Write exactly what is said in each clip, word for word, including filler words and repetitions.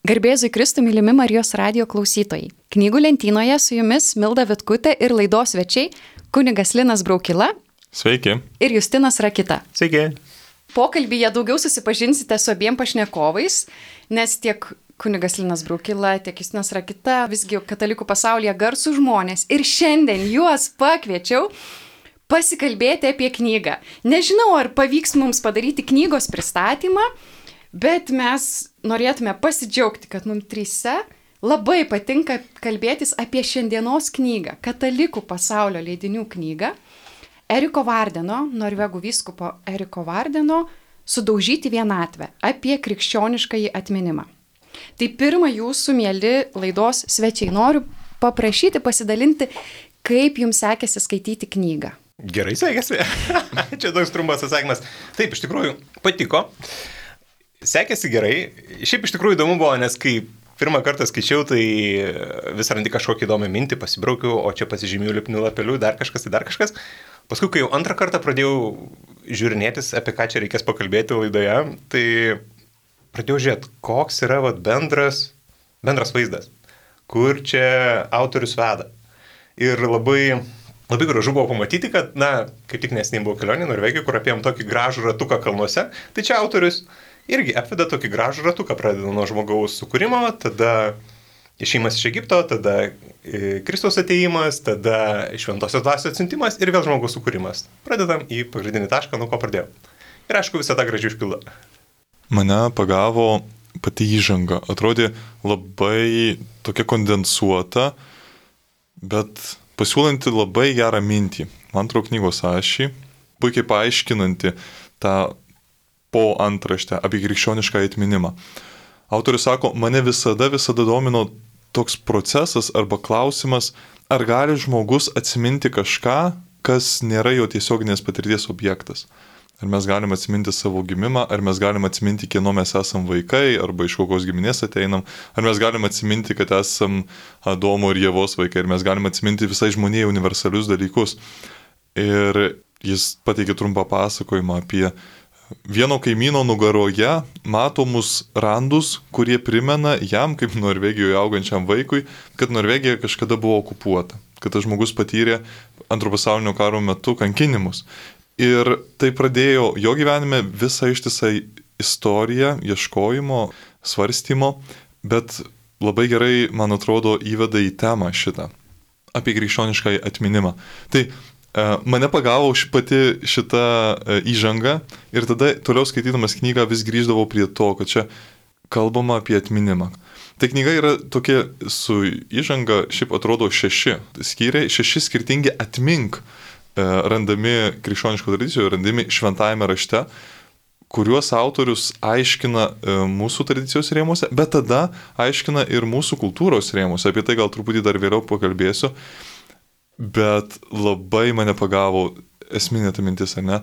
Garbėzui Kristui, mylimi Marijos radijo klausytojai. Knygų lentynoje su jumis Milda Vitkutė ir laidos svečiai kunigas Linas Braukila. Sveiki. Ir Justinas Rakita. Sveiki. Pokalbyje daugiau susipažinsite su abiem pašnekovais, nes tiek kunigas Linas Braukila, tiek Justinas Rakita visgi katalikų pasaulyje garsų žmonės. Ir šiandien juos pakviečiau pasikalbėti apie knygą. Nežinau, ar pavyks mums padaryti knygos pristatymą, bet mes norėtume pasidžiaugti, kad mums trise labai patinka kalbėtis apie šiandienos knygą, katalikų pasaulio leidinių knygą, Eriko Vardeno, norvegų vyskupo Eriko Vardeno, Sudaužyti vienatvę, apie krikščioniškąjį atminimą. Tai pirmą jūsų, mieli laidos svečiai, noriu paprašyti pasidalinti, kaip jums sekėsi skaityti knygą. Gerai sekėsi. Čia toks trumpas atsakymas. Taip, iš tikrųjų, patiko. Sekėsi gerai. Šiaip iš tikrųjų įdomu buvo, nes kai pirmą kartą skaičiau, tai vis randi kažkokį įdomią mintį, pasibraukiau, o čia pasižymėjau lipnių lapelių, dar kažkas, tai dar kažkas. Paskui, kai jau antrą kartą pradėjau žiūrinėtis, apie ką čia reikės pakalbėti laidoje, tai pradėjau žiūrėti, koks yra vat, bendras, bendras vaizdas, kur čia autorius veda. Ir labai, labai gražu buvo pamatyti, kad, na, kaip tik nesiniai buvo kelionė Norvegijoje, kur apėjom tokį gražų ratuką kalnuose, tai čia autorius irgi apveda tokį gražų ratuką, pradeda nuo žmogaus sukūrimo, tada išėjimas iš Egipto, tada Kristaus atėjimas, tada šventosios dvasios atsiuntimas ir vėl žmogaus sukūrimas. Pradedam į pagrindinį tašką, nuo ko pradėjau. Ir aišku, visą tą gražiai užpildo. Mane pagavo pati įžanga. Atrodė labai tokia kondensuota, bet pasiūlanti labai gerą mintį. Man atrodo knygos ašį, puikiai paaiškinanti tą po antraštę apie krikščionišką atminimą. Autorius sako, mane visada, visada domino toks procesas arba klausimas, ar gali žmogus atsiminti kažką, kas nėra jo tiesioginės patirties objektas. Ar mes galime atsiminti savo gimimą, ar mes galime atsiminti, kieno mes esam vaikai, arba iš kokios giminės ateinam, ar mes galime atsiminti, kad esam Adomo ir Ievos vaikai, ar mes galime atsiminti visai žmonijai universalius dalykus. Ir jis pateikė trumpą pasakojimą apie vieno kaimyno nugaroje matomus randus, kurie primena jam, kaip Norvegijoje augančiam vaikui, kad Norvegija kažkada buvo okupuota, kad tas žmogus patyrė antro pasaulinio karo metu kankinimus. Ir tai pradėjo jo gyvenime visą ištisą istoriją, ieškojimo, svarstymo, bet labai gerai, man atrodo, įveda į temą šitą, apie krikščionišką atminimą. Tai mane pagavo pati šita įžanga ir tada toliau skaitydamas knygą vis grįždavau prie to, kad čia kalbama apie atminimą. Tai knyga yra tokia su įžanga, šiaip atrodo šeši skyriai, šeši skirtingi atmink randami krikščioniško tradicijoje, randami šventajame rašte, kuriuos autorius aiškina mūsų tradicijos rėmuose, bet tada aiškina ir mūsų kultūros rėmuose. Apie tai gal truputį dar vėliau pakalbėsiu. Bet labai mane pagavo esminė ta mintis, ar ne?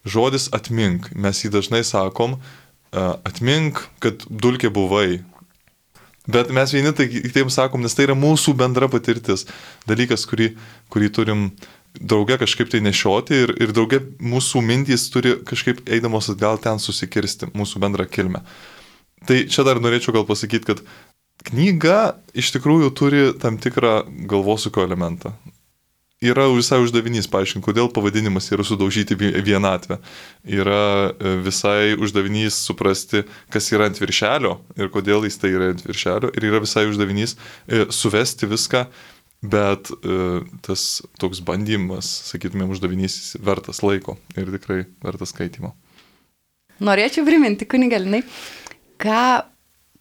Žodis atmink. Mes jį dažnai sakom, atmink, kad dulkė buvai. Bet mes vieni tai taip sakom, nes tai yra mūsų bendra patirtis. Dalykas, kurį, kurį turim drauge kažkaip tai nešioti ir, ir drauge mūsų mintys turi kažkaip eidamos atgal ten susikirsti, mūsų bendrą kilmę. Tai čia dar norėčiau gal pasakyti, kad knyga iš tikrųjų turi tam tikrą galvosūkio elementą. Yra visai uždavinys paaiškinti, kodėl pavadinimas yra Sudaužyti vienatvę. Yra visai uždavinys suprasti, kas yra ant viršelio ir kodėl jis tai yra ant viršelio. Ir yra visai uždavinys suvesti viską, bet tas toks bandymas, sakytumėm, uždavinys vertas laiko ir tikrai vertas skaitimo. Norėčiau priminti, kunigalinai, ką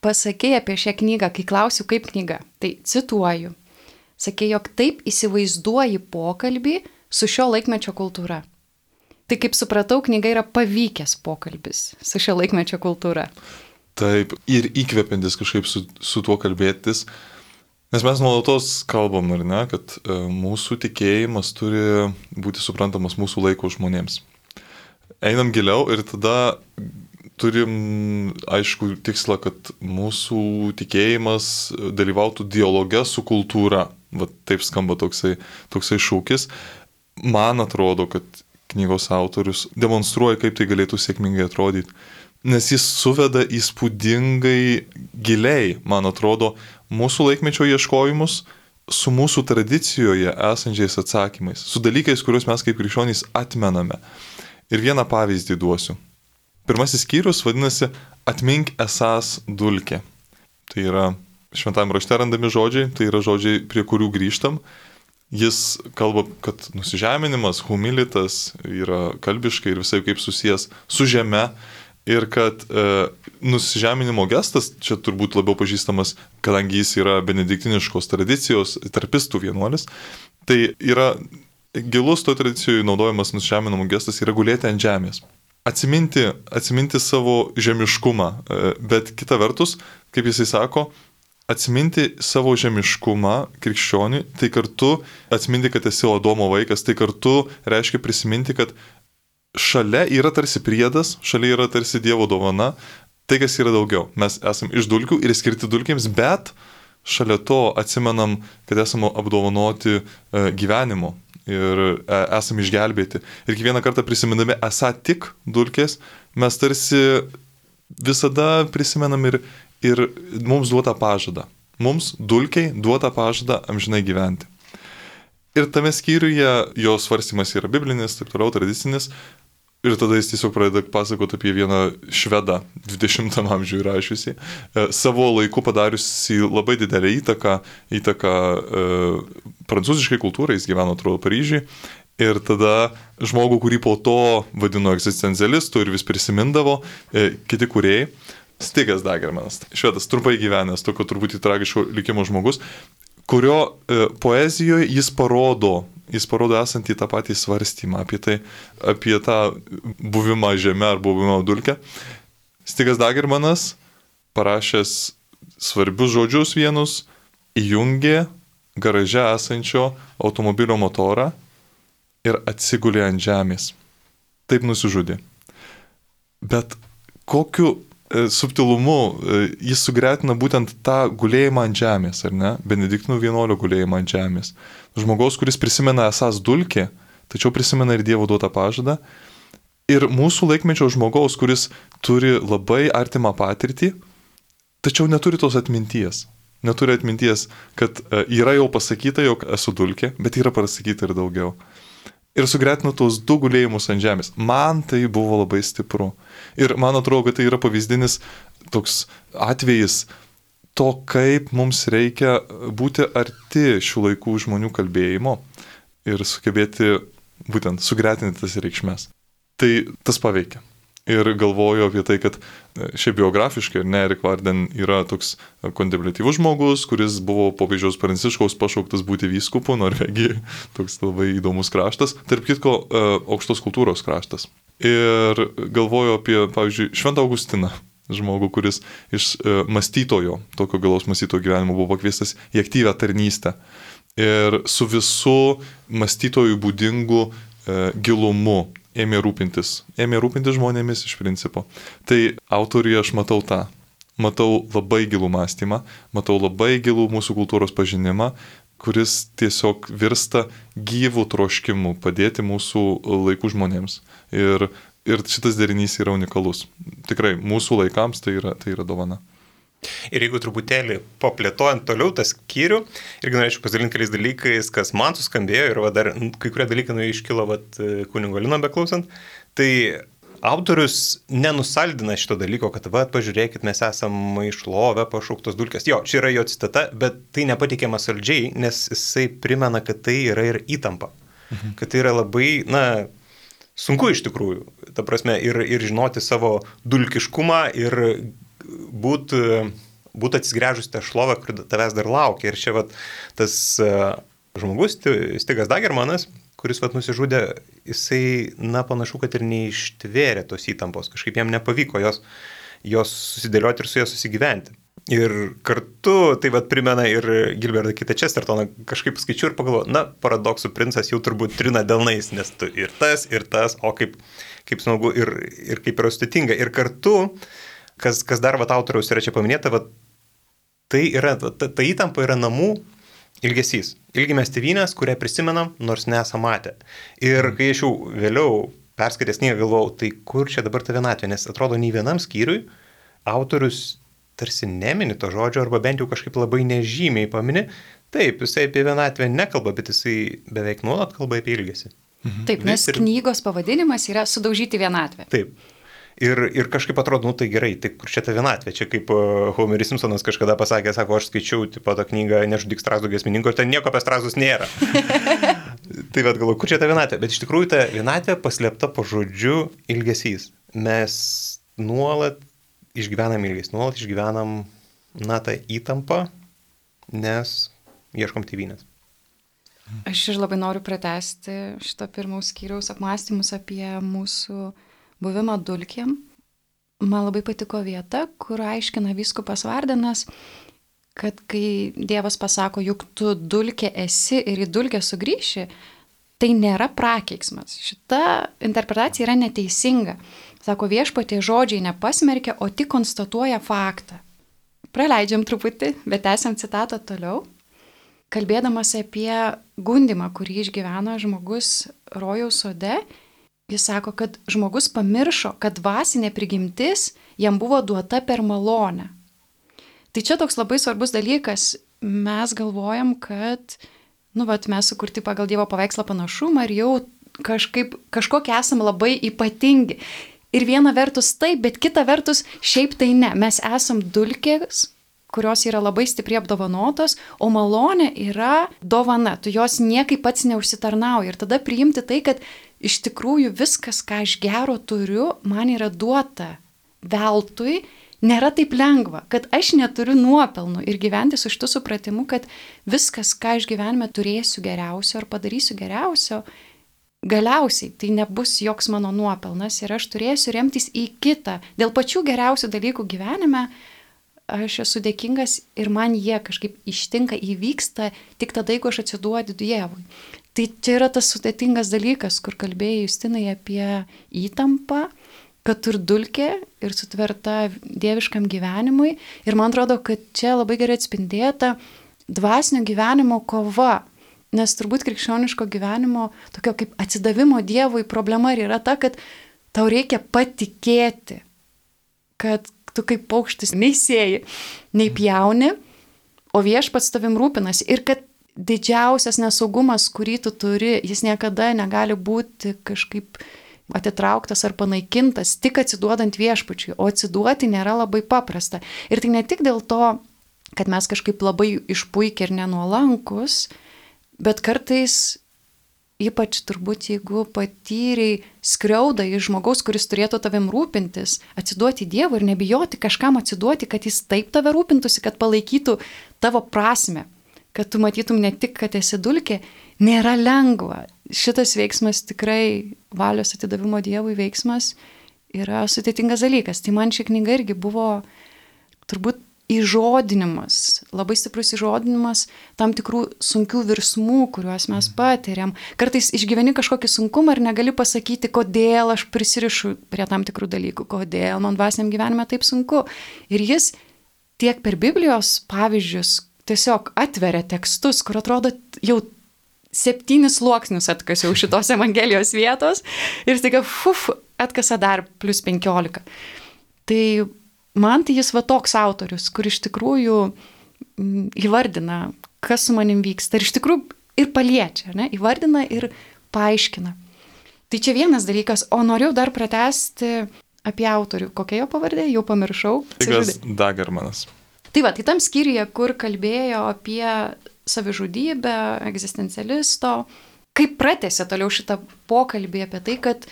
pasakei apie šią knygą, kai klausiu, kaip knyga. Tai cituoju. Sakė, jog taip įsivaizduoji pokalbį su šio laikmečio kultūra. Tai kaip supratau, knyga yra pavykęs pokalbis su šio laikmečio kultūra. Taip, ir įkvepiantis kažkaip su, su tuo kalbėtis. Nes mes nuolatos kalbam, ar ne, kad e, mūsų tikėjimas turi būti suprantamas mūsų laiko žmonėms. Einam giliau ir tada turim, aišku, tikslą, kad mūsų tikėjimas dalyvautų dialoge su kultūra. Va, taip skamba toksai, toksai šūkis. Man atrodo, kad knygos autorius demonstruoja, kaip tai galėtų sėkmingai atrodyti. Nes jis suveda įspūdingai giliai, man atrodo, mūsų laikmečio ieškojimus su mūsų tradicijoje esančiais atsakymais, su dalykais, kuriuos mes kaip krikščionys atmename. Ir vieną pavyzdį duosiu. Pirmasis skyrius vadinasi Atmink esąs dulkė. Tai yra šventame rašte randami žodžiai, tai yra žodžiai, prie kurių grįžtam. Jis kalba, kad nusižeminimas, humilitas yra kalbiškai ir visai kaip susijęs su žeme ir kad e, nusižeminimo gestas, čia turbūt labiau pažįstamas, kadangi jis yra benediktiniškos tradicijos, tarpistų vienuolis, tai yra gilus to tradicijoje naudojamas nusižeminimo gestas yra gulėti ant žemės. Atsiminti, atsiminti savo žemiškumą, bet kita vertus, kaip jisai sako, atsiminti savo žemiškumą krikščioniui, tai kartu atsiminti, kad esi Adomo vaikas, tai kartu reiškia prisiminti, kad šalia yra tarsi priedas, šalia yra tarsi Dievo dovana, tai kas yra daugiau. Mes esame iš dulkių ir skirti dulkėms, bet šalia to atsimenam, kad esame apdovanoti gyvenimu. Ir esame išgelbėti. Ir kiekvieną kartą prisimindami esą tik dulkės, mes tarsi visada prisimenam ir, ir mums duotą pažadą. Mums dulkiai duotą pažadą amžinai gyventi. Ir tame skyriuje jo svarstymas yra biblinis, taip toliau, tradicinis. Ir tada jis tiesiog pradeda pasakoti apie vieną švedą dvidešimtam amžiuje rašiusį, savo laiku padariusi labai didelę įtaką, įtaką e, prancūziškai kultūrai, jis gyveno, atrodo, Paryžiui. Ir tada žmogų, kurį po to vadino egzistencialistu ir vis prisimindavo, e, kiti kūrėjai, Stigas Dagermanas, švedas, trumpai gyvenęs, tokio turbūt tragiško likimo žmogus, kurio e, poezijoje jis parodo, jis parodo esantį tą patį svarstymą apie tai, apie tą buvimą žeme ar buvimą dulkę. Stigas Dagermanas, parašęs svarbius žodžius vienus, įjungė garaže esančio automobilio motorą ir atsigulė ant žemės. Taip nusižudė. Bet kokiu subtilumu jis sugretina būtent tą gulėjimą ant žemės, ar ne? Benediktinų vienuolio gulėjimą ant žemės. Žmogaus, kuris prisimena esąs dulkė, tačiau prisimena ir Dievo duotą pažadą. Ir mūsų laikmečio žmogaus, kuris turi labai artimą patirtį, tačiau neturi tos atminties. Neturi atminties, kad yra jau pasakyta, jog esu dulkė, bet yra pasakyta ir daugiau. Ir sugretinu tos du gulėjimus ant žemės. Man tai buvo labai stipru. Ir man atrodo, kad tai yra pavyzdinis toks atvejis to, kaip mums reikia būti arti šių laikų žmonių kalbėjimo ir sugebėti būtent sugretinti tas reikšmes. Tai tas paveikia. Ir galvoju apie tai, kad šiaip biografiškai, ne, Erik Varden yra toks kontempliatyvus žmogus, kuris buvo popiežiaus Pranciškaus pašauktas būti vyskupu Norvegijoje. Toks labai įdomus kraštas. Tarp kitko, aukštos kultūros kraštas. Ir galvoju apie, pavyzdžiui, Šventą Augustiną, žmogų, kuris iš mąstytojo, tokio gilaus mąstytojo gyvenimo buvo pakviestas į aktyvią tarnystę. Ir su visu mąstytojų būdingu gilumu ėmė rūpintis. Ėmė rūpintis žmonėmis iš principo. Tai autoriuje aš matau tą. Matau labai gilų mąstymą, matau labai gilų mūsų kultūros pažinimą, kuris tiesiog virsta gyvų troškimų padėti mūsų laikų žmonėms. Ir, ir šitas derinys yra unikalus. Tikrai, mūsų laikams tai yra, tai yra dovana. Ir jeigu truputėlį paplėtojant toliau tą skyrių, irgi norėčiau pasidalinti keliais dalykais, kas man suskambėjo ir va, dar kai kurie dalykai nu, iškilo vat, kunigo Lino beklausant, tai autorius nenusaldina šito dalyko, kad va, pažiūrėkit, mes esame išlovę pašauktos dulkės. Jo, čia yra jo citata, bet tai nepateikiama saldžiai, nes jisai primena, kad tai yra ir įtampa. Mhm. Kad tai yra labai, na, sunku iš tikrųjų. Ta prasme, ir, ir žinoti savo dulkiškumą ir būti būt atsigręžus tą šlovę, kur tavęs dar laukia. Ir čia vat, tas uh, žmogus, Stigas Dagermanas, kuris vat, nusižudė, jisai, na, panašu, kad ir neištvėrė tos įtampos. Kažkaip jam nepavyko jos, jos susidėlioti ir su ja susigyventi. Ir kartu tai vat, primena ir Gilbertą kitą Chestertoną, kažkaip skaičiu ir pagalvoju, na, paradoksų princas jau turbūt trina delnais, nes tu ir tas, ir tas, o kaip, kaip smagu ir, ir kaip yra sudėtinga. Ir kartu Kas, kas dar vat, autoriaus yra čia paminėta, vat, tai yra, ta, ta įtampa yra namų ilgesys. Ilgimės tėvynės, kurią prisimenam, nors nesam matę. Ir kai aš jau vėliau perskaitęs knygą galvojau, tai kur čia dabar ta vienatvė, nes atrodo nei vienam skyriui autorius tarsi nemini to žodžio, arba bent jau kažkaip labai nežymiai pamini. Taip, jisai apie vienatvę nekalba, bet jisai beveik nuolat kalba apie ilgesį. Mhm. Taip, nes ir... knygos pavadinimas yra Sudaužyti vienatvę. Taip. Ir, ir kažkaip atrodo, nu tai gerai, tai kur čia ta vienatvė? Čia kaip uh, Homeris Simpsonas kažkada pasakė, sako, aš skaičiau tipo, tą knygą Nežudyk Strazdų giesmininko ir ten nieko apie Strazdus nėra. Tai vad galvoju, kur čia ta vienatvė? Bet iš tikrųjų ta vienatvė paslėpta po žodžiu ilgesys. Mes nuolat išgyvenam ilgesį, nuolat išgyvenam, na, tą įtampą, nes ieškom tėvynės. Aš ir labai noriu pratęsti šito pirmaus skyriaus apmąstymus apie mūsų buvimą dulkėm. Man labai patiko vieta, kur aiškina vyskupas Vardenas, kad kai Dievas pasako, juk tu dulkė esi ir į dulkę sugrįši, tai nėra prakeiksmas. Šita interpretacija yra neteisinga. Sako, Viešpatie žodžiai nepasmerkia, o tik konstatuoja faktą. Praleidžiam truputį, bet esam citatą toliau. Kalbėdamas apie gundimą, kurį išgyveno žmogus rojaus sode, jis sako, kad žmogus pamiršo, kad dvasinė prigimtis jam buvo duota per malonę. Tai čia toks labai svarbus dalykas. Mes galvojam, kad nu, vat, mes sukurti pagal Dievo paveikslą panašumą ir jau kažkaip, kažkokie esam labai ypatingi. Ir viena vertus taip, bet kita vertus šiaip tai ne. Mes esam dulkės, kurios yra labai stipriai apdovanotos, o malonė yra dovana. Tu jos niekaip pats neužsitarnauji. Ir tada priimti tai, kad iš tikrųjų viskas, ką aš gero turiu, man yra duota veltui, nėra taip lengva, kad aš neturiu nuopelnų ir gyventi su šitu supratimu, kad viskas, ką aš gyvenime turėsiu geriausio ar padarysiu geriausio, galiausiai tai nebus joks mano nuopelnas ir aš turėsiu remtis į kitą. Dėl pačių geriausių dalykų gyvenime aš esu dėkingas ir man jie kažkaip ištinka, įvyksta tik tada, jeigu aš atsiduodu Dievui. Tai čia yra tas sudėtingas dalykas, kur kalbėjai Justinai apie įtampą, kad tur dulkė ir sutverta dieviškam gyvenimui. Ir man atrodo, kad čia labai gerai atspindėta dvasinio gyvenimo kova. Nes turbūt krikščioniško gyvenimo, tokio kaip atsidavimo Dievui problema yra ta, kad tau reikia patikėti, kad tu kaip paukštis nei sėji, nei pjauni, o Viešpats tavim rūpinasi. Ir kad didžiausias nesaugumas, kurį tu turi, jis niekada negali būti kažkaip atitrauktas ar panaikintas, tik atsiduodant Viešpačiui. O atsiduoti nėra labai paprasta. Ir tai ne tik dėl to, kad mes kažkaip labai išpuikę ir nenuolankus, bet kartais, ypač turbūt jeigu patyrei skriaudą iš žmogaus, kuris turėtų tavim rūpintis, atsiduoti Dievui ir nebijoti kažkam atsiduoti, kad jis taip tave rūpintųsi, kad palaikytų tavo prasmę, kad tu matytum ne tik, kad esi dulkė, nėra lengva. Šitas veiksmas tikrai, valios atidavimo Dievui veiksmas, yra sudėtingas dalykas. Tai man ši knyga irgi buvo turbūt įžodinimas, labai stiprus įžodinimas tam tikrų sunkių virsmų, kuriuos mes patiriam. Kartais išgyveni kažkokį sunkumą ir negali pasakyti, kodėl aš prisirišu prie tam tikrų dalykų, kodėl man dvasiniam gyvenime taip sunku. Ir jis tiek per Biblijos pavyzdžius tiesiog atveria tekstus, kur atrodo jau septynis sluoksnius atkasiau šitos Evangelijos vietos ir staiga, fuf, atkasa dar plus penkiolika. Tai man tai jis va toks autorius, kur iš tikrųjų m, įvardina, kas su manim vyksta ir iš tikrųjų ir paliečia, ne? Įvardina ir paaiškina. Tai čia vienas dalykas, o norėjau dar pratęsti apie autorių. Kokia jo pavardė? Jau pamiršau. Tigas Dagermanas. Tai va, tai tam skyriuje, kur kalbėjo apie savižudybę, egzistencialisto, kaip pratęsė toliau šitą pokalbį apie tai, kad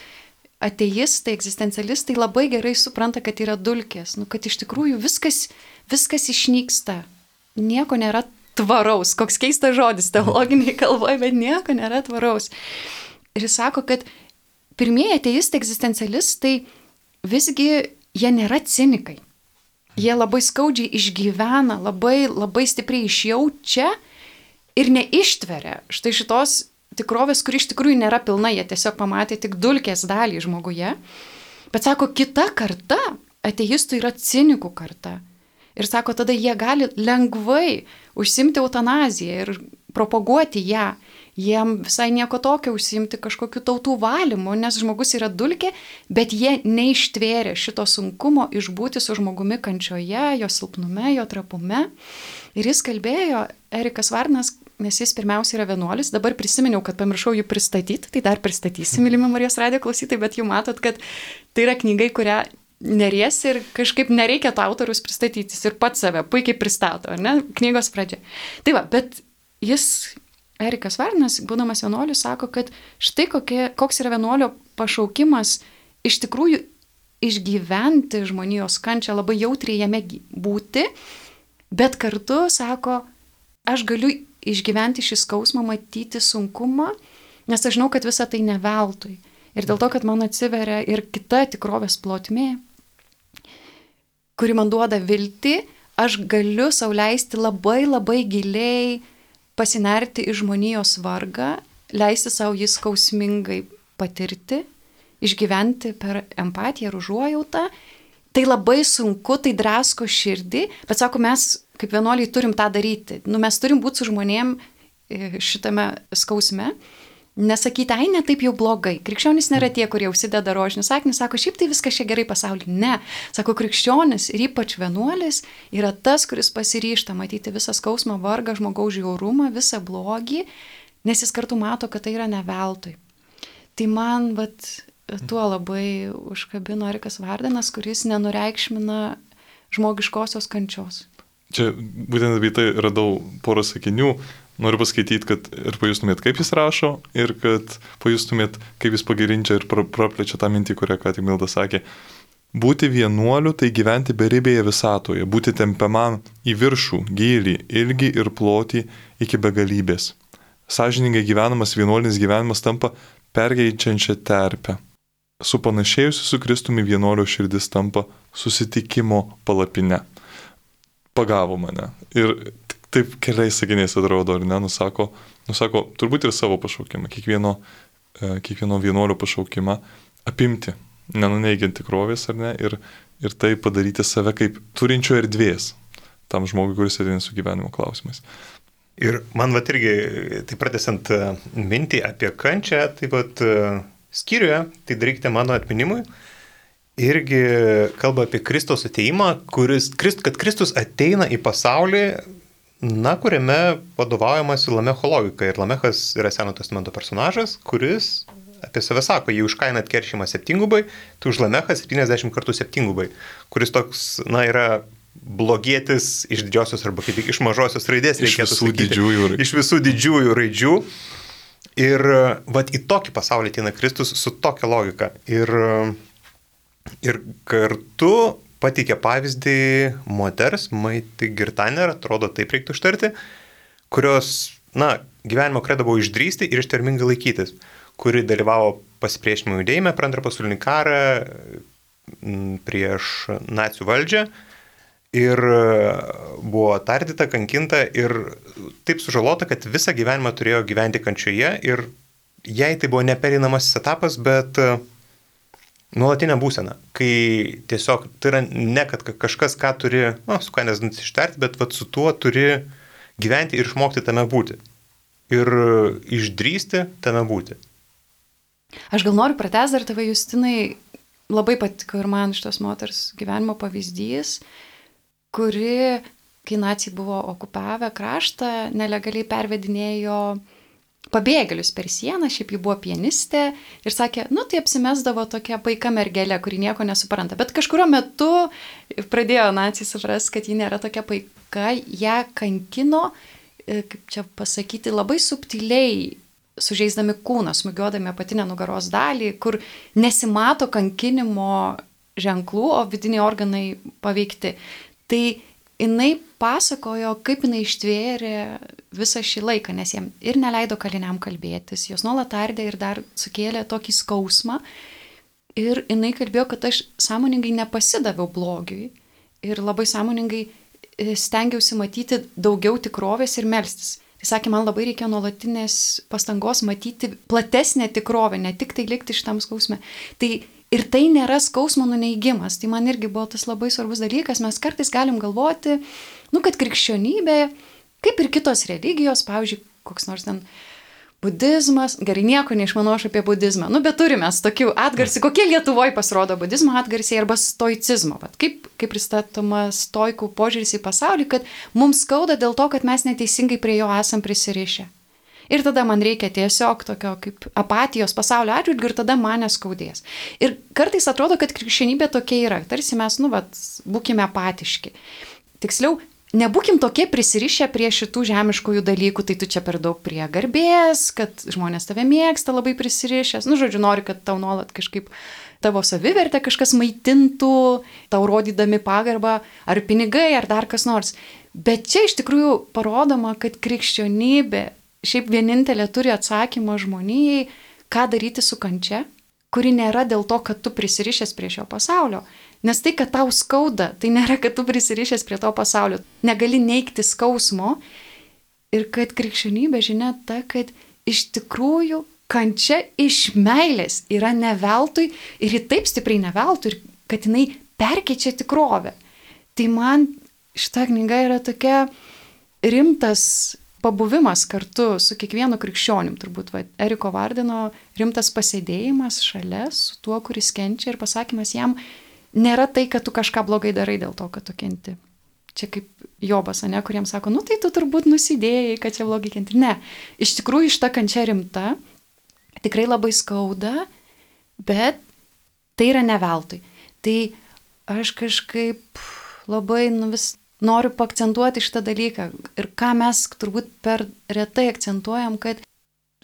ateistai, egzistencialistai labai gerai supranta, kad yra dulkės, nu, kad iš tikrųjų viskas, viskas išnyksta, nieko nėra tvaraus, koks keistas žodis teologiniai kalboje, bet nieko nėra tvaraus. Ir jis sako, kad pirmieji ateistai, egzistencialistai, visgi jie nėra cinikai. Jie labai skaudžiai išgyvena, labai, labai stipriai išjaučia ir neištveria štai šitos tikrovės, kuri iš tikrųjų nėra pilna, jie tiesiog pamatė tik dulkės dalį žmoguje. Bet sako, kita karta, ateistų yra cinikų karta. Ir sako, tada jie gali lengvai užsimti eutanaziją ir propaguoti ją. jiem visai nieko tokio užsiimti kažkokiu tautų valymu, nes žmogus yra dulkė, bet jie neištvėrė šito sunkumo išbūti su žmogumi kančioje, jo silpnume, jo trapume. Ir jis kalbėjo, Erikas Vardinas, nes jis pirmiausia yra vienuolis, dabar prisiminiau, kad pamiršau jų pristatyti, tai dar pristatysim, mylimi Marijos radijo klausytojai, bet jau matot, kad tai yra knyga, kurią neriesi ir kažkaip nereikia to autorius pristatytis ir pats save puikiai pristato, ne, knygos pradžia. Tai va, bet jis, Erikas Vardinas, būdamas vienuoliu, sako, kad štai kokie, koks yra vienuolio pašaukimas iš tikrųjų išgyventi žmonijos kančią, labai jautriai jame būti, bet kartu, sako, aš galiu išgyventi šį skausmą, matyti sunkumą, nes aš žinau, kad visa tai ne veltui. Ir dėl to, kad man atsiveria ir kita tikrovės plotmė, kuri man duoda viltį, aš galiu sau leisti labai labai giliai pasinerti į žmonijos vargą, leisti savo jį skausmingai patirti, išgyventi per empatiją ir užuojautą. Tai labai sunku, tai drasko širdį, bet sako, mes kaip vienuoliai turim tą daryti. Nu, mes turim būti su žmonėm šitame skausme. Nesakyti, ai, ne taip jau blogai. Krikščionys nėra tie, kurie užsideda rožinį sakinį, sako, šiaip tai viskas čia gerai pasaulyje. Ne. Sako, krikščionis ir ypač vienuolis yra tas, kuris pasiryžta matyti visą skausmą, vargą, žmogaus žiaurumą, visą blogį, nes jis kartu mato, kad tai yra ne veltui. Tai man, vat, tuo labai užkabino Erikas Vardinas, kuris nenureikšmina žmogiškosios kančios. Čia būtent apie tai radau porą sakinių. Noriu paskaityti, kad ir pajustumėt, kaip jis rašo, ir kad pajustumėt, kaip jis pagirinčia ir praplečia tą mintį, kurią ką tik Milda sakė. Būti vienuoliu tai gyventi beribėje visatoje, būti tempiamam į viršų, gylį, ilgį ir plotį iki begalybės. Sąžiningai gyvenamas vienuolinis gyvenimas tampa perkeičiančia terpę. Supanašėjusi su Kristumi vienuolio širdis tampa susitikimo palapine. Pagavo mane. Ir taip keliais sakiniais atrodo, ar ne, nusako, nusako turbūt ir savo pašaukimą, kiekvieno, kiekvieno vienuolio pašaukimą apimti, nenuneigiant tikrovės, ar ne, ir, ir tai padaryti save kaip turinčio erdvės tam žmogui, kuris ateina su gyvenimo klausimais. Ir man vat irgi, tai pratęsiant mintį apie kančią, tai vat skyriuje, tai darykite mano atminimui, irgi kalba apie Kristaus ateimą, kuris, kad Kristus ateina į pasaulį, na, kuriame vadovaujamasi Lamecho logika. Ir Lamechas yra Seno testamento personažas, kuris apie save sako, jį už kainą atkeršimą septyngubai, tai už Lamechą septyniasdešimt kartų septyngubai, kuris toks, na, yra blogietis iš didžiosios arba kaip iš mažosios raidės, iš visų didžiųjų raidžių. Iš visų didžiųjų raidžių. Ir vat į tokį pasaulį ateina Kristus su tokia logika. Ir, ir kartu pateikė pavyzdį moters, Maiti Girtaner, atrodo taip reiktų ištarti, kurios, na, gyvenimo kredo buvo išdrįsti ir ištvermingai laikytis, kuri dalyvavo pasipriešinimo judėjime per antrą pasaulinį karą prieš nacių valdžią ir buvo tardyta, kankinta ir taip sužalota, kad visą gyvenimą turėjo gyventi kančioje ir jai tai buvo nepereinamasis etapas, bet nuolatinė būsena, kai tiesiog tai yra ne, kad kažkas, ką turi, na, su ką nesant ištarti, bet vat, su tuo turi gyventi ir išmokti tame būti. Ir išdrįsti tame būti. Aš gal noriu pratęsti dar tave, Justinai, labai patiko ir man šitos moters gyvenimo pavyzdys, kuri, kai naciai buvo okupavę kraštą, nelegaliai pervedinėjo pabėgėlius per sieną, šiaip ji buvo pianistė ir sakė, nu tai apsimesdavo tokia paika mergelė, kuri nieko nesupranta. Bet kažkurio metu pradėjo naciai supras, kad ji nėra tokia paika, ją kankino, kaip čia pasakyti, labai subtiliai sužeisdami kūną, smūgiuodami apatinę nugaros dalį, kur nesimato kankinimo ženklų, o vidiniai organai paveikti. Tai jinai pasakojo, kaip jinai ištvėrė visą šį laiką, nes jiem ir neleido kaliniam kalbėtis, jos nuolat tardė ir dar sukėlė tokį skausmą. Ir jinai kalbėjo, kad aš sąmoningai nepasidaviau blogiui ir labai sąmoningai stengiausi matyti daugiau tikrovės ir melstis. Tai sakė, man labai reikia nuolatinės pastangos matyti platesnę tikrovę, ne tik tai likti šitam skausme. Tai ir tai nėra skausmo nuneigimas. Tai man irgi buvo tas labai svarbus dalykas. Mes kartais galim galvoti, nu, kad krikščionybė, kaip ir kitos religijos, pavyzdžiui, koks nors ten budizmas, gerai, nieko neišmanau aš apie budizmą. Nu, bet turime tokių atgarsių, kokie Lietuvoje pasirodo budizmo atgarsiai arba stoicizmo. Vat kaip, kaip pristatoma stoikų požiūris į pasaulį, kad mums skauda dėl to, kad mes neteisingai prie jo esam prisirišę. Ir tada man reikia tiesiog tokio kaip apatijos pasaulio atžvilgiu ir tada mane skaudės. Ir kartais atrodo, kad krikščionybė tokia yra. Tarsi mes, nu, vat, būkime apatiški. Tiksliau, nebūkim tokie prisirišę prie šitų žemiškųjų dalykų, tai tu čia per daug prie garbės, kad žmonės tave mėgsta labai prisirišęs. Nu, žodžiu, nori, kad tau nuolat kažkaip tavo savivertę kažkas maitintų, tau rodydami pagarbą, ar pinigai, ar dar kas nors. Bet čia iš tikrųjų parodoma, kad krikščionybė šiaip vienintelė turi atsakymą žmonijai, ką daryti su kančia, kuri nėra dėl to, kad tu prisirišęs prie šio pasaulio. Nes tai, kad tau skauda, tai nėra, kad tu prisirišęs prie to pasaulio. Negali neigti skausmo. Ir kad krikščionybė žinia ta, kad iš tikrųjų kančia iš meilės yra ne veltui ir ji taip stipriai ne veltui, kad jinai perkeičia tikrovę. Tai man šita knyga yra tokia rimtas pabuvimas kartu su kiekvienu krikščionim, turbūt va, Eriko Vardino rimtas pasėdėjimas šalia su tuo, kuris kenčia ir pasakymas jam, nėra tai, kad tu kažką blogai darai dėl to, kad tu kenti. Čia kaip Jobas, ne, kuriems sako, nu tai tu turbūt nusidėjai, kad čia blogai kenti. Ne, iš tikrųjų šita kančia rimta, tikrai labai skauda, bet tai yra ne veltui. Tai aš kažkaip labai nu, vis noriu paakcentuoti šitą dalyką ir ką mes turbūt per retai akcentuojam, kad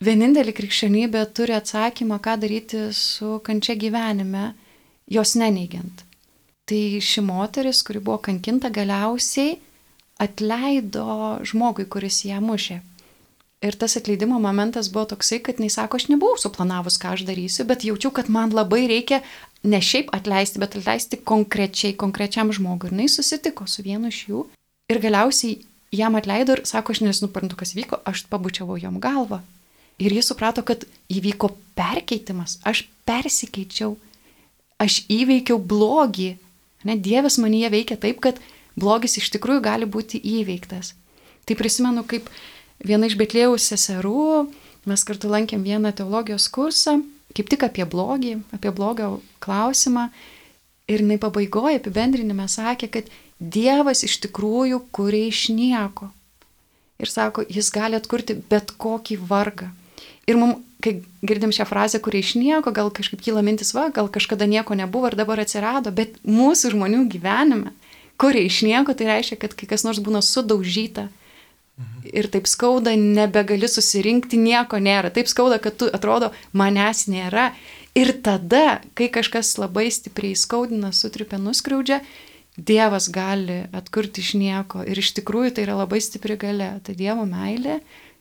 vienintelė krikščionybė turi atsakymą, ką daryti su kančia gyvenime, jos neneigiant. Tai ši moteris, kuri buvo kankinta, galiausiai atleido žmogui, kuris ją mušė. Ir tas atleidimo momentas buvo toksai, kad jis sako, aš nebuvau suplanavus, ką aš darysiu, bet jaučiu, kad man labai reikia ne šiaip atleisti, bet atleisti konkrečiai, konkrečiam žmogui. Ir jis susitiko su vienu iš jų ir galiausiai jam atleido ir sako, aš nesuprantu, kas vyko, aš pabučiavau jam galvą. Ir jis suprato, kad įvyko perkeitimas, aš persikeičiau, aš įveikiau blogį. Ne, Dievas manyje veikia taip, kad blogis iš tikrųjų gali būti įveiktas. Tai prisimenu, kaip viena iš Betlėjaus seserų, mes kartu lankėm vieną teologijos kursą, kaip tik apie blogį, apie blogio klausimą. Ir jinai pabaigoje apibendrinime sakė, kad Dievas iš tikrųjų kuria iš nieko. Ir sako, jis gali atkurti bet kokį vargą. Ir mums, kai girdim šią frazę, kuria iš nieko, gal kažkaip kyla mintis, va, gal kažkada nieko nebuvo ir dabar atsirado, bet mūsų žmonių gyvenime, kuria iš nieko, tai reiškia, kad kai kas nors būna sudaužyta. Ir taip skauda, nebegali susirinkti, nieko nėra. Taip skauda, kad tu atrodo, manęs nėra. Ir tada, kai kažkas labai stipriai skaudina, sutripia, nuskriaudžia, Dievas gali atkurti iš nieko. Ir iš tikrųjų tai yra labai stipri galia. Tai Dievo meilė,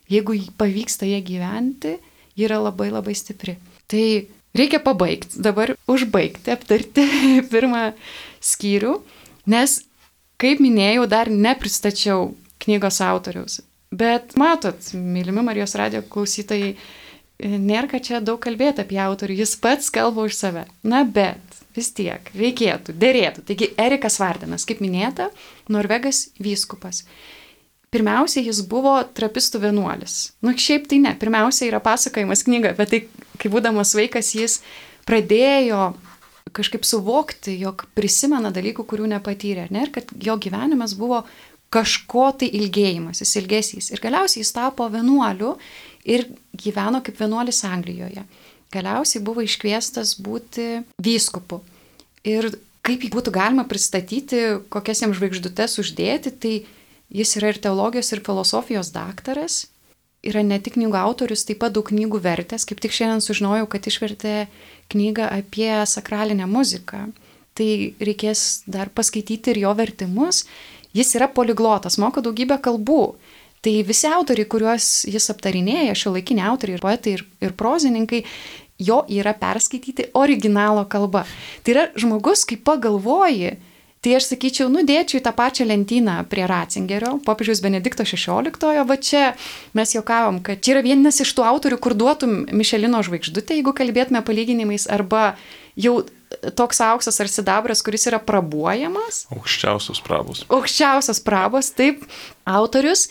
jeigu pavyksta ją gyventi, ji yra labai labai stipri. Tai reikia pabaigti, dabar užbaigti, aptarti pirmą skyrių, nes, kaip minėjau, dar nepristačiau knygos autoriaus. Bet matot, mylimi Marijos radijo klausytojai, nėra ką čia daug kalbėti apie autorių, jis pats kalba už save. Na bet, vis tiek, reikėtų, dėrėtų. Taigi, Erikas Vardinas, kaip minėta, Norvegas vyskupas. Pirmiausia, jis buvo trapistų vienuolis. Nu, šiaip tai ne. Pirmiausia, yra pasakojimas knyga, bet tai, kai būdamas vaikas, jis pradėjo kažkaip suvokti, jog prisimena dalykų, kurių nepatyrė, ne? Ir kad jo gyvenimas buvo kažko tai ilgėjimasis, ilgesys. Ir galiausiai jis tapo vienuoliu ir gyveno kaip vienuolis Anglijoje. Galiausiai buvo iškviestas būti vyskupu. Ir kaip jį būtų galima pristatyti, kokias jam žvaigždutes uždėti, tai jis yra ir teologijos, ir filosofijos daktaras, yra ne tik knygų autorius, taip pat daug knygų vertęs. Kaip tik šiandien sužinojau, kad išvertė knygą apie sakralinę muziką. Tai reikės dar paskaityti ir jo vertimus. Jis yra poliglotas, moka daugybę kalbų. Tai visi autoriai, kuriuos jis aptarinėja, šiuolaikiniai autoriai ir poetai ir, ir prozininkai, jo yra perskaityti originalo kalba. Tai yra žmogus, kai pagalvoji, tai aš sakyčiau, nudėčiau į tą pačią lentyną prie Ratzingerio, popiežiaus Benedikto šešioliktojo, va čia mes juokavom, kad čia yra vienas iš tų autorių, kur duotum Mišelino žvaigždutę, jeigu kalbėtume palyginimais, arba jau toks auksas ar sidabras, kuris yra prabuojamas. Aukščiausios prabos. Aukščiausios prabos, taip, autorius.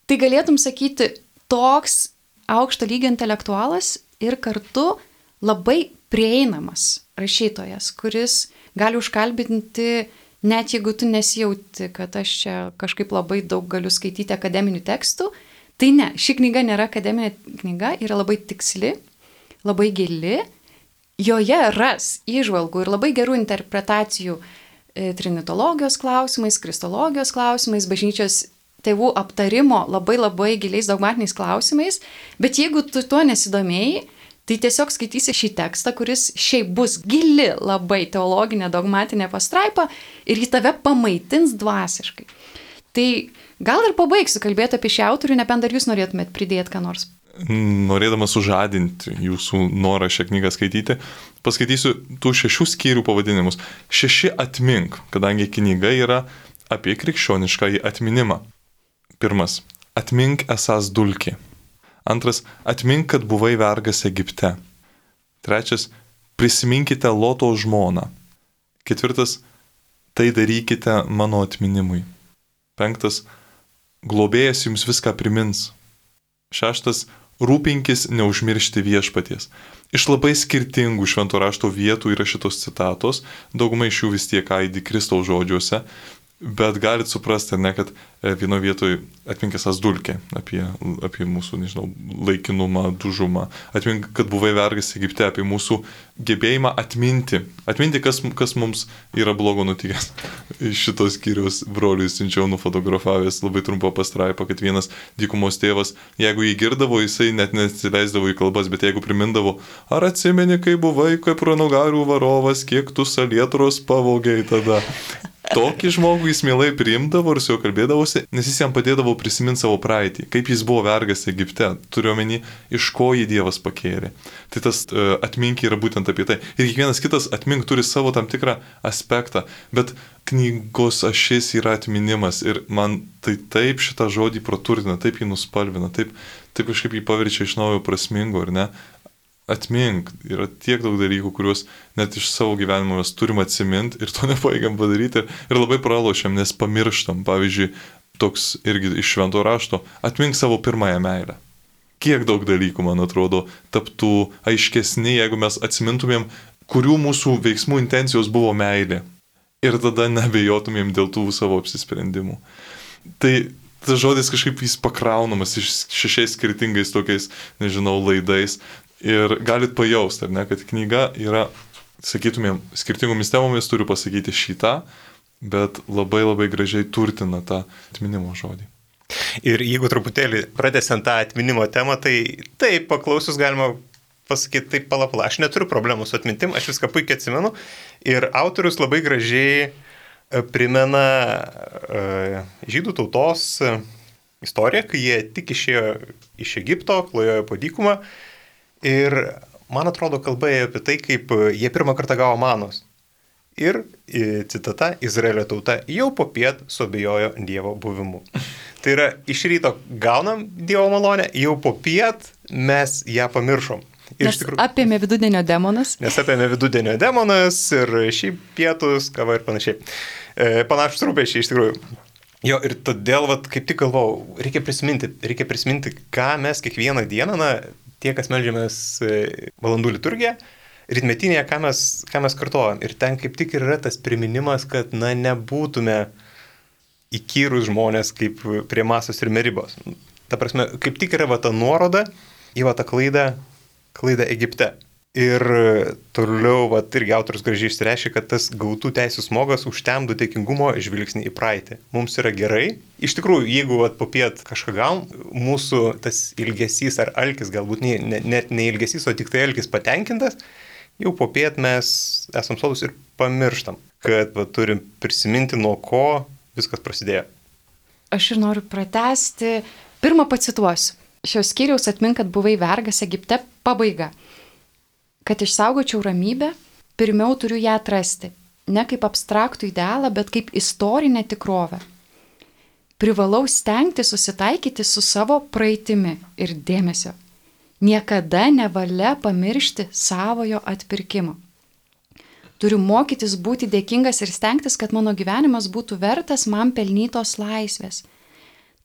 Tai galėtum sakyti, toks aukšto lygio intelektualas ir kartu labai prieinamas rašytojas, kuris gali užkalbinti, net jeigu tu nesijauti, kad aš čia kažkaip labai daug galiu skaityti akademinių tekstų. Tai ne, ši knyga nėra akademinė knyga, yra labai tiksli, labai gili. Joje ras įžvalgų ir labai gerų interpretacijų e, trinitologijos klausimais, kristologijos klausimais, bažnyčios tėvų aptarimo labai labai giliais dogmatiniais klausimais. Bet jeigu tu tuo nesidomėjai, tai tiesiog skaitysi šį tekstą, kuris šiaip bus gili labai teologinė dogmatinė pastraipa ir jį tave pamaitins dvasiškai. Tai gal ir pabaigsiu kalbėti apie šį autorių, nebent dar jūs norėtumėt pridėti ką nors. Norėdamas sužadinti jūsų norą šią knygą skaityti, paskaitysiu tų šešių skyrių pavadinimus. Šeši atmink, kadangi knyga yra apie krikščioniškąjį atminimą. Pirmas. Atmink esąs dulkė. Antras. Atmink, kad buvai vergas Egipte. Trečias. Prisiminkite Loto žmoną. Ketvirtas. Tai darykite mano atminimui. Penktas. Globėjas jums viską primins. Šeštas. Rūpinkis neužmiršti viešpaties. Iš labai skirtingų švento rašto vietų yra šitos citatos, daugumai iš jų vis tiek aidi Kristaus žodžiuose, bet galit suprasti, ne, kad vieno vietoje atmink esąs dulkė apie, apie mūsų, nežinau, laikinumą, dužumą. Atmink, kad buvai vergas Egipte, apie mūsų gebėjimą atminti. Atminti, kas, kas mums yra blogo nutikęs. Iš šitos skyriaus broliui siunčiau nufotografavęs labai trumpą pastraipą, kad vienas dykumos tėvas, jeigu jį girdavo, jisai net nesileisdavo į kalbas, bet jeigu primindavo, ar atsimeni, kai buvai kaip ranugarių varovas, kiek tu salietros pavogiai tada. Tokį žmogų jis mielai priimdavo ir su juo kalbėdavosi, nes jis jam padėdavo prisiminti savo praeitį, kaip jis buvo vergas Egipte, turiuomenį, iš ko jį Dievas pakėlė. Tai tas uh, atmink yra būtent apie tai. Ir kiekvienas kitas atmink turi savo tam tikrą aspektą, bet knygos ašis yra atminimas ir man tai taip šitą žodį praturtina, taip jį nuspalvina, taip, taip kažkaip jį paverčia iš naujo prasmingo, ar ne? Atmink, yra tiek daug dalykų, kuriuos net iš savo gyvenimo mes turim atsiminti ir to nepajėgiam padaryti ir labai pralošiam, nes pamirštam. Pavyzdžiui, toks irgi iš švento rašto, atmink savo pirmąją meilę. Kiek daug dalykų, man atrodo, taptų aiškesni, jeigu mes atsimintumėm, kurių mūsų veiksmų intencijos buvo meilė. Ir tada nebejotumėm dėl tų savo apsisprendimų. Tai tas žodis kažkaip jis pakraunamas iš šešiais skirtingais tokiais, nežinau, laidais. Ir galit pajausti, ar ne, kad knyga yra, sakytumėm, skirtingomis temomis turiu pasakyti šitą, bet labai labai gražiai turtina tą atminimo žodį. Ir jeigu truputėlį pratęsiant tą atminimo temą, tai taip, paklausius galima pasakyti, taip palapla, aš neturiu problemų su atmintim, aš viską puikiai atsimenu. Ir autorius labai gražiai primena uh, žydų tautos istoriją, kai jie tik išėjo iš Egipto, klajojo po dykumą. Ir man atrodo kalba apie tai, kaip jie pirmą kartą gavo manos. Ir, citata, Izraelio tauta jau po piet suabejojo Dievo buvimu. Tai yra, iš ryto gaunam Dievo malonę, jau po piet mes ją pamiršom. Ir nes tikrųjų, apėmė vidudienio demonas. Nes apėmė vidudienio demonas ir šiaip pietus, kava ir panašiai. E, panašus rūpesčiai iš tikrųjų. Jo, ir todėl, vat, kaip tik galvau, reikia prisiminti, reikia prisiminti, ką mes kiekvieną dieną, na, tie, kas meldžiamės valandų liturgiją, rytmetinėje, ką mes, ką mes kartuojam. Ir ten kaip tik yra tas priminimas, kad, na, nebūtume įkyrus žmonės kaip prie Masos ir Meribos. Ta prasme, kaip tik yra va ta nuoroda į va tą klaidą, klaidą Egipte. Ir toliau, va, irgi autorius gražiai išsireiškia, kad tas gautų teisų smogas užtemdo dėkingumo žvilgsnį į praeitį. Mums yra gerai. Iš tikrųjų, jeigu va, po piet kažką gaum, mūsų tas ilgesys ar alkis, galbūt ne, ne, net ne ilgesys, o tik tai alkis patenkintas, jau po piet mes esam sodus ir pamirštam, kad va, turim prisiminti, nuo ko viskas prasidėjo. Aš ir noriu pratęsti. Pirmą pacituosiu. Šios skyriaus atmink, kad buvai vergas Egipte, pabaiga. Kad išsaugočiau ramybę, pirmiau turiu ją atrasti. Ne kaip abstraktų idealą, bet kaip istorinę tikrovę. Privalau stengti susitaikyti su savo praeitimi ir dėmesio. Niekada nevalia pamiršti savojo atpirkimo. Turiu mokytis būti dėkingas ir stengtis, kad mano gyvenimas būtų vertas man pelnytos laisvės.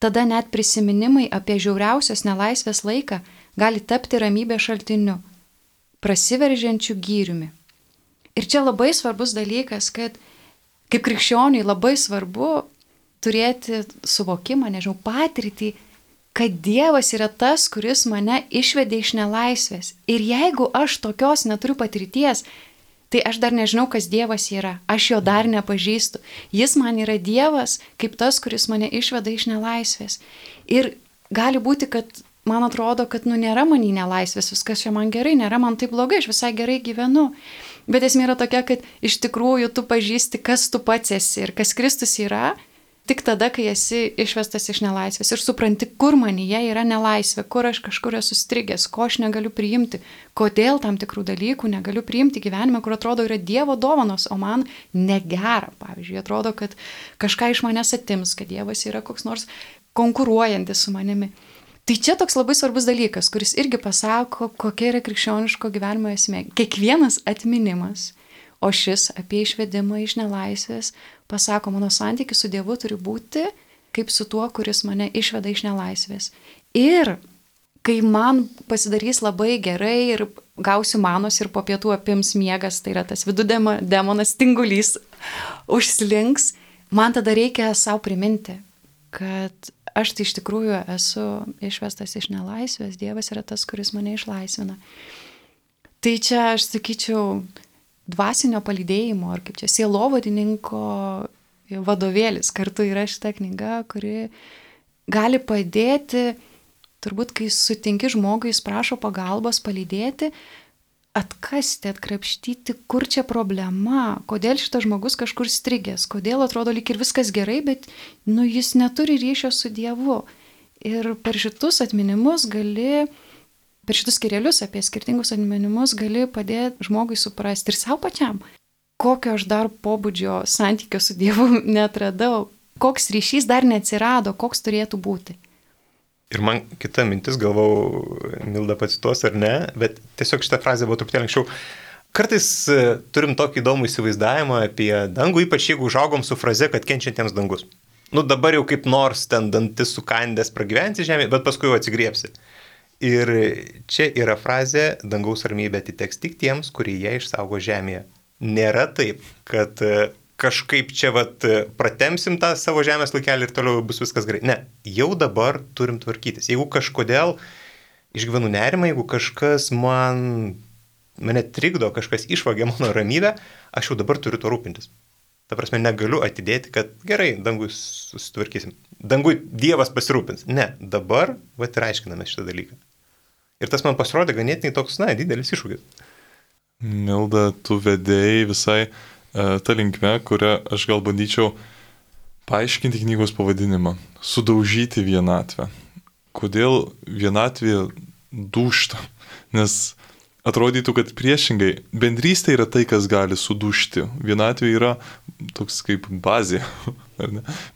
Tada net prisiminimai apie žiauriausios nelaisvės laiką gali tapti ramybės šaltiniu, prasiveržiančiu gyriumi. Ir čia labai svarbus dalykas, kad kaip krikščioniui labai svarbu turėti suvokimą, nežinau, patirtį, kad Dievas yra tas, kuris mane išvedė iš nelaisvės. Ir jeigu aš tokios neturiu patirties, tai aš dar nežinau, kas Dievas yra. Aš jo dar nepažįstu. Jis man yra Dievas, kaip tas, kuris mane išveda iš nelaisvės. Ir gali būti, kad man atrodo, kad nu nėra man į nelaisvės, viskas čia man gerai, nėra man taip blogai, aš visai gerai gyvenu. Bet esmė yra tokia, kad iš tikrųjų tu pažįsti, kas tu pats esi ir kas Kristus yra, tik tada, kai esi išvestas iš nelaisvės ir supranti, kur manyje yra nelaisvė, kur aš kažkur esu strigęs, ko aš negaliu priimti, kodėl tam tikrų dalykų negaliu priimti gyvenime, kur atrodo yra Dievo dovanos, o man negera. Pavyzdžiui, atrodo, kad kažką iš manęs atims, kad Dievas yra koks nors konkuruojantis su manimi. Tai čia toks labai svarbus dalykas, kuris irgi pasako, kokia yra krikščioniško gyvenimo esmė. Kiekvienas atminimas, o šis apie išvedimą iš nelaisvės, pasako, mano santykis su Dievu turi būti kaip su tuo, kuris mane išveda iš nelaisvės. Ir kai man pasidarys labai gerai ir gausiu manos ir po pietų apims miegas, tai yra tas vidų demonas tingulys užslinks, man tada reikia savo priminti, kad aš tai iš tikrųjų esu išvestas iš nelaisvės, Dievas yra tas, kuris mane išlaisvina. Tai čia aš sakyčiau dvasinio palydėjimo, ar kaip čia sielovadininko vadovėlis. Kartu yra šita knyga, kuri gali padėti, turbūt kai sutinki žmogui, jis prašo pagalbos palydėti, atkasti, atkrapštyti, kur čia problema, kodėl šitas žmogus kažkur strigęs, kodėl atrodo lyg ir viskas gerai, bet nu, jis neturi ryšio su Dievu. Ir per šitus atminimus gali, per šitus skirelius apie skirtingus atminimus gali padėti žmogui suprasti ir savo pačiam, kokio aš dar pobūdžio santykio su Dievu netradau, koks ryšys dar neatsirado, koks turėtų būti. Ir man kita mintis, galvau, Milda pacituos ar ne, bet tiesiog šitą frazę buvo truputėlį anksčiau. Kartais turim tokį įdomų įsivaizdavimą apie dangų, ypač jeigu užaugom su fraze, kad kenčiantiems dangus. Nu dabar jau kaip nors ten dantis sukandęs pragyvensi žemė, bet paskui jau atsigriepsi. Ir čia yra frazė, dangaus ramybė atiteks tik tiems, kurie ją išsaugo žemėje. Nėra taip, kad kažkaip čia vat pratemsim tą savo žemės laikelį ir toliau bus viskas gerai. Ne, jau dabar turim tvarkytis. Jeigu kažkodėl išgyvenu nerimą, jeigu kažkas man, mane trikdo, kažkas išvagė mano ramybę, aš jau dabar turiu to rūpintis. Ta prasme, negaliu atidėti, kad gerai, dangui susitvarkysim. Dangui Dievas pasirūpins. Ne, dabar vat ir aiškiname šitą dalyką. Ir tas man pasirodė ganėtinai toks, na, didelis iššūkis. Milda, tu vedėjai visai ta linkme, kurią aš gal bandyčiau paaiškinti knygos pavadinimą. Sudaužyti vienatvę. Kodėl vienatvė dūžta? Nes atrodytų, kad priešingai, bendrystė yra tai, kas gali sudužti. Vienatvė yra toks kaip bazė.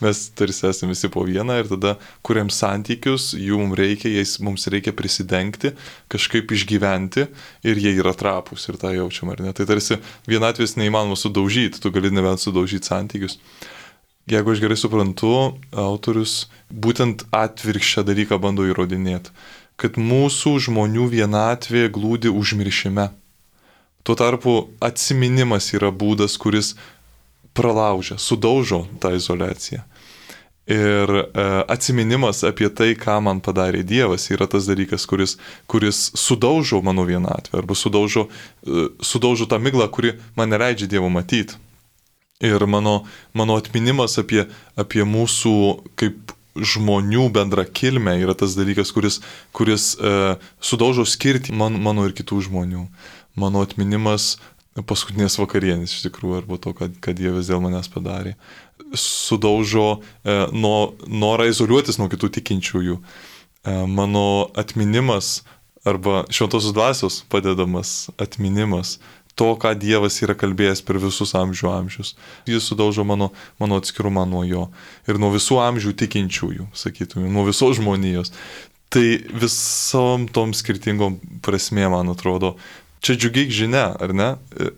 Mes tarsi esame visi po vieną ir tada kuriam santykius, jų mums reikia, jais mums reikia prisidengti, kažkaip išgyventi ir jie yra trapūs ir tą jaučiam, ar ne? Tai tarsi vienatvės neįmanoma sudaužyti, tu gali nebent sudaužyti santykius. Jeigu aš gerai suprantu, autorius būtent atvirkščią dalyką bando įrodinėti, kad mūsų žmonių vienatvė glūdi užmiršime. Tuo tarpu atsiminimas yra būdas, kuris pralaužia, sudaužo tą izoliaciją. Ir e, atsiminimas apie tai, ką man padarė Dievas, yra tas dalykas, kuris, kuris sudaužo mano vienatvę, arba sudaužo, e, sudaužo tą miglą, kuri man neleidžia Dievo matyti. Ir mano, mano atminimas apie, apie mūsų kaip žmonių bendrą kilmę yra tas dalykas, kuris, kuris e, sudaužo skirtį man, mano ir kitų žmonių. Mano atminimas paskutinės vakarienės iš tikrųjų, arba to, kad, kad Dievas dėl manęs padarė. Sudaužo e, nuo, norą izoliuotis nuo kitų tikinčiųjų. E, mano atminimas arba šventosios dvasios padedamas atminimas to, ką Dievas yra kalbėjęs per visus amžių amžius. Jis sudaužo mano, mano atskirumą nuo jo. Ir nuo visų amžių tikinčiųjų, sakytume, nuo visos žmonijos. Tai visom tom skirtingom prasmė, man atrodo, čia džiugiai žinia, ar ne?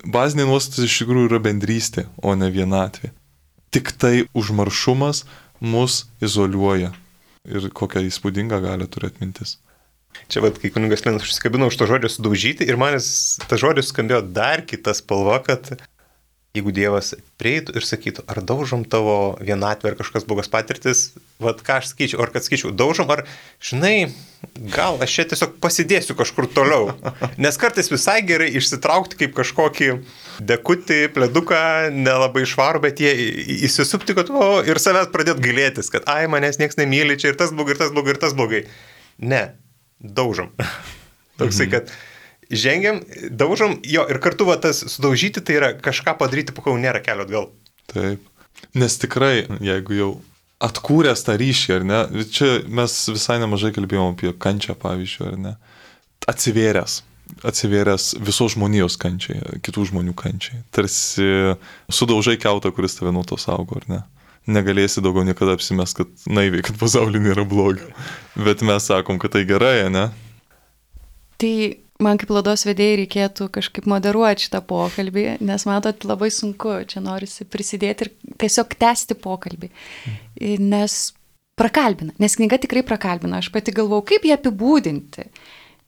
Bazinė nuostatas iš tikrųjų yra bendrystė, o ne vienatvė. Tik tai užmaršumas mus izoliuoja. Ir kokią įspūdingą gali turėti mintis. Čia, vat, kai kunigas Linas užsikabino už to žodžio sudaužyti ir man tas žodis skambėjo dar kita spalva, kad jeigu Dievas prieitų ir sakytų, ar daužom tavo vienatvę ar kažkas blogas patirtis, vat ką aš sakyčiau, ar kad sakyčiau, daužom, ar, žinai, gal aš čia tiesiog pasidėsiu kažkur toliau. Nes kartais visai gerai išsitraukti kaip kažkokį dekutį, pleduką, nelabai švarų, bet jie įsisupti, kad o, ir savęs pradėt gailėtis, kad ai, manęs nieks nemyli, čia ir tas blogai, ir tas blogai, ir tas blogai. Ne, daužom. Toksai, kad žengiam, daužom, jo, ir kartu va, tas sudaužyti, tai yra kažką padaryti, po kol nėra kelio atgal. Taip. Nes tikrai, jeigu jau atkūręs tą ryšį, ar ne, čia mes visai nemažai kalbėjom apie kančią, pavyzdžiui, ar ne, atsivėręs, atsivėręs visos žmonijos kančiai, kitų žmonių kančiai. Tarsi sudaužai kiautą, kuris tave nuo to saugo, ar ne. Negalėsi daugiau niekada apsimest, kad naiviai, kad pasaulyje nėra blogio. Bet mes sakom, kad tai gerai, ne? Tai man kaip laidos vedėjai reikėtų kažkaip moderuoti šitą pokalbį, nes matot, labai sunku, čia norisi prisidėti ir tiesiog tęsti pokalbį, nes prakalbina, nes knyga tikrai prakalbina, aš pati galvau, kaip ją apibūdinti.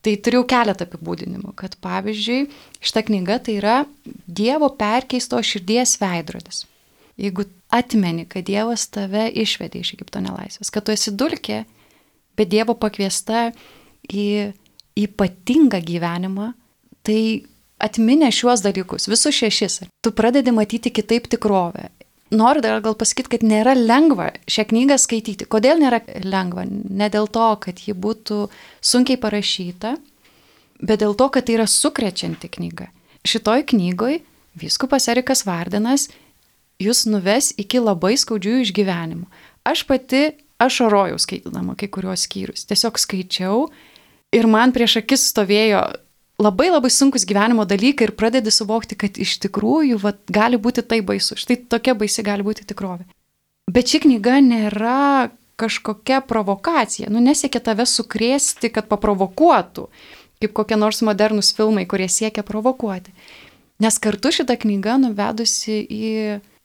Tai turėjau keletą apibūdinimų, kad pavyzdžiui, šita knyga tai yra Dievo perkeisto širdies veidrodis. Jeigu atmeni, kad Dievas tave išvedė iš Egipto nelaisvės, kad tu esi dulkė, bet Dievo pakviesta į ypatingą gyvenimą, tai atminę šiuos dalykus, visus šešis, tu pradedi matyti kitaip tikrovę. Noriu dar gal pasakyti, kad nėra lengva šią knygą skaityti. Kodėl nėra lengva? Ne dėl to, kad ji būtų sunkiai parašyta, bet dėl to, kad tai yra sukrečianti knyga. Šitoj knygoj vyskupas Erikas Vardenas jūs nuves iki labai skaudžių išgyvenimų. Aš pati ašarojau skaitydama kai kuriuos skyrius. Tiesiog skaičiau ir man prieš akis stovėjo labai labai sunkus gyvenimo dalykai ir pradedi suvokti, kad iš tikrųjų va, gali būti tai baisu. Štai tokia baisi gali būti tikrovė. Bet ši knyga nėra kažkokia provokacija. Nu, nesiekia tave sukrėsti, kad paprovokuotų, kaip kokie nors modernus filmai, kurie siekia provokuoti. Nes kartu šita knyga nuvedusi į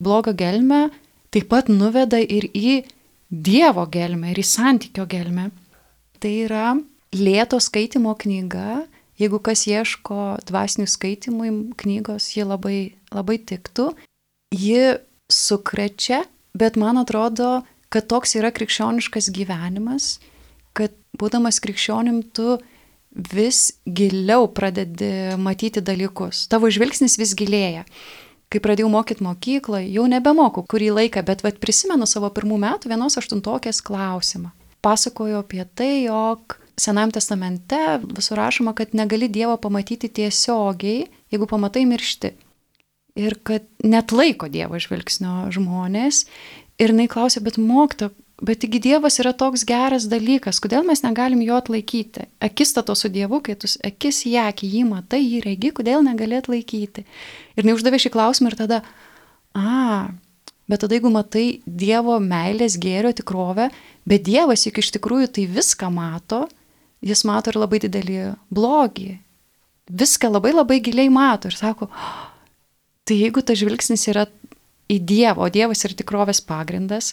blogą gelmę, taip pat nuveda ir į Dievo gelmę, ir į santykio gelmę. Tai yra lėto skaitimo knyga. Jeigu kas ieško dvasinių skaitimų knygos, ji labai, labai tiktų. Ji sukrečia, bet man atrodo, kad toks yra krikščioniškas gyvenimas, kad būdamas krikščionim tu vis giliau pradedi matyti dalykus. Tavo žvilgsnis vis gilėja. Kai pradėjau mokyti mokykloje, jau nebemokau kurį laiką, bet vat, prisimenu savo pirmų metų vienos aštuntokės klausimą. Pasakoju apie tai, jog Senajame testamente visur rašoma, kad negali Dievo pamatyti tiesiogiai, jeigu pamatai miršti. Ir kad net laiko Dievo žvilgsnio žmonės. Ir jinai klausė, bet mokytoja, bet taigi Dievas yra toks geras dalykas, kodėl mes negalim jo atlaikyti? Akistato su Dievu, kai tu akis į akį jį matai, jį regi, kodėl negali atlaikyti? Ir jinai uždavė šį klausimą ir tada, a, bet tada jeigu matai Dievo meilės gėrio tikrovę, bet Dievas juk iš tikrųjų tai viską mato, jis mato ir labai didelį blogį. Viską labai labai giliai mato ir sako, tai jeigu tas žvilgsnis yra į Dievą, o Dievas yra tikrovės pagrindas,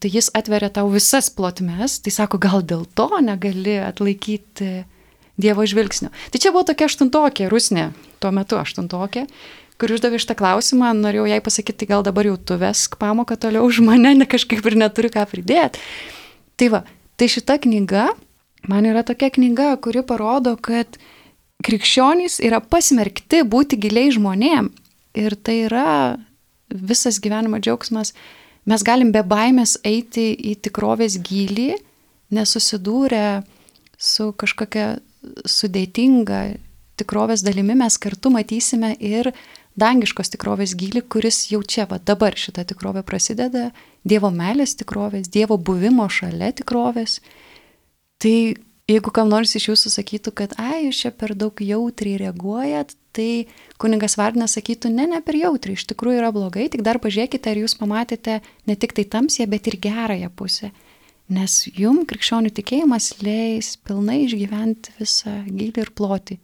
tai jis atveria tau visas plotmes, tai sako, gal dėl to negali atlaikyti Dievo žvilgsnio. Tai čia buvo tokia aštuntokė, Rusnė, tuo metu aštuntokė, kur uždavė šitą klausimą, norėjau jai pasakyti, tai gal dabar jau tu vesk pamoką toliau už mane, ne kažkaip ir neturiu ką pridėti. Tai va, tai šita knyga, man yra tokia knyga, kuri parodo, kad krikščionys yra pasmerkti būti giliai žmonėm. Ir tai yra visas gyvenimo džiaugsmas. Mes galim be baimės eiti į tikrovės gylį, nesusidūrę su kažkokia sudėtinga tikrovės dalimi, mes kartu matysime ir dangiškos tikrovės gylį, kuris jau čia, va, dabar šita tikrovė prasideda, Dievo meilės tikrovės, Dievo buvimo šalia tikrovės. Tai jeigu kam nors iš jūsų sakytų, kad ai, jūs čia per daug jautriai reaguojat, tai kunigas Vardenas sakytų, ne, ne per jautriai, iš tikrųjų yra blogai, tik dar pažiūrėkite, ar jūs pamatėte ne tik tai tamsią, bet ir gerąją pusę. Nes jum krikščionių tikėjimas leis pilnai išgyventi visą gylį ir plotį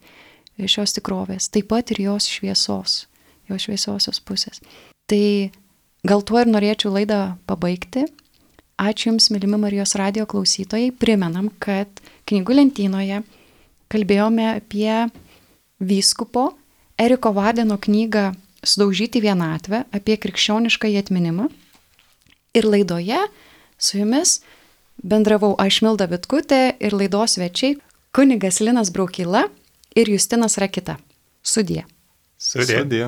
šios tikrovės, taip pat ir jos šviesos, jos šviesiosios pusės. Tai gal tuo ir norėčiau laidą pabaigti. Ačiū Jums, mylimi Marijos radijo klausytojai. Primenam, kad knygų lentynoje kalbėjome apie vyskupo Eriko Vardeno knygą Sudaužyti vienatvę, apie krikščionišką atminimą. Ir laidoje su Jumis bendravau aš Milda Vitkutė ir laidos svečiai kunigas Linas Braukyla ir Justinas Rakita. Sudie. Sudie. Sudie.